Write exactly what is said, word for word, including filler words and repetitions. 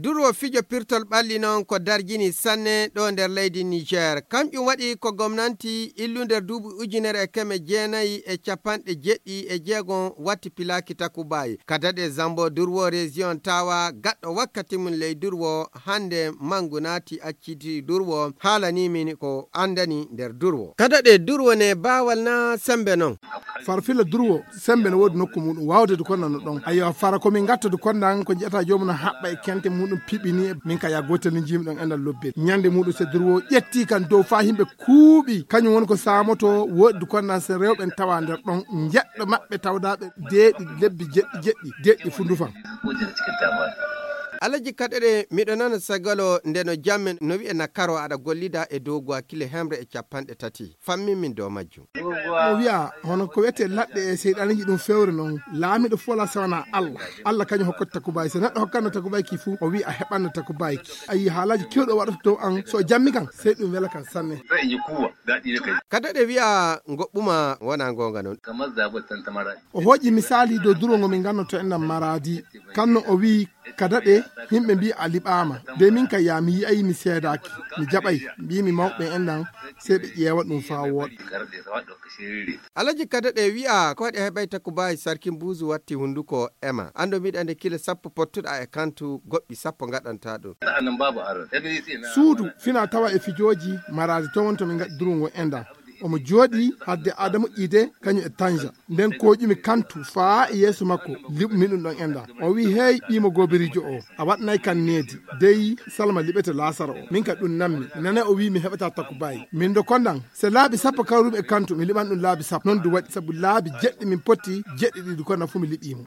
Durwo fijo pirtol ɓalli noon ko darjini sanne ɗo nder leydi Niger. Kamƴum waɗi ko gomnanti illu nder duuɓi ujunere e keme jeenayi e capanɗe jeɗɗi e jeegom watti pilaaki takubaay. Kadaɗe Zambo Durwo Région Tawa gaɗɗo wakkati mum ley Durwo hannde manngu naati acciti Durwo haalanii min ko anndani nder Durwo. Kadaɗe Durwo ne baawal na sembe noon. Farfilla Durwo sembe no woodi nokku muɗum waawde du konnan no ɗon. Ayyo fara ko min gatta du konnan ko ji'ata joomum no haɓɓa e kente muɗum piɓini e min ka ya gootel ni jiimi ɗon enɗan lobbel. Ñande muɗum se Durwo ƴetti kan dow faa yimɓe kuuɓi kañum woni ko saamoto woodi du konnan se rewɓe en tawa nder ɗon njeɗɗo maɓɓe tawdaaɓe deeɗi lebbi jeɗɗi jeɗɗi deeɗi fu ndufan. Alaji kaɗeɗe miɗo nana sagalo nde no jammen no wi'e na karo aɗa gollida e dow gwakile hemre e capanɗe tati. Fammin min dow majjum. O wi'a hono ko wiyetee laɗɗe e seyɗaaniji ɗum fewre non laamiɗo fof la sewana Allah. Allah kañum hokkata takubaay so neɗɗo hokkanno takubaay ki fuu o wi'a a heɓanno takubaay ki. A yii haalaaji kewɗo waɗata dow an so o jammi kan sey ɗum wela kan sanne. Kadaɗe wi'a ngoɓɓuma wona ngonga non. O hooƴi misaali dow durwo ngo min gannoto enɗan maraadi kanno o wi'i kadaɗe yimɓe mbi a liɓaama de min ka yaa mi yi'ay mi seedaaki mi jaɓay mbimi mawɓe enɗan sey ɓe ƴeewa ɗum faa wooɗa. Alaji kadaɗe wi'a ko waɗi heɓay takubaay sarki mbuuzu watti hunduko ema anndo mbiɗa nde kile sappo pottuɗa e kantu goɗɗi sappo ngaɗanta ɗum. Suudu fina tawa e fijooji maraadi to won to min ngaɗi durungo enɗan omo jooɗi hadde adamu ƴiide kañum e tanja nden koƴumi kantu faa e yeeso makko liɓumi ɗum ɗon enɗan o wi hey ɓiimo goobiriijo o a waɗnay kan needi dey salma liɓete laasara o min ka ɗum nammi nane o wi mi heɓata takubaay min do konɗan se laabi sappo kawrumi e kantu mi liɓan ɗum laabi sappo non du waɗi sabu laabi jeɗɗi min potti jeɗɗi ɗiɗi konɗan fuu mi liɓimo.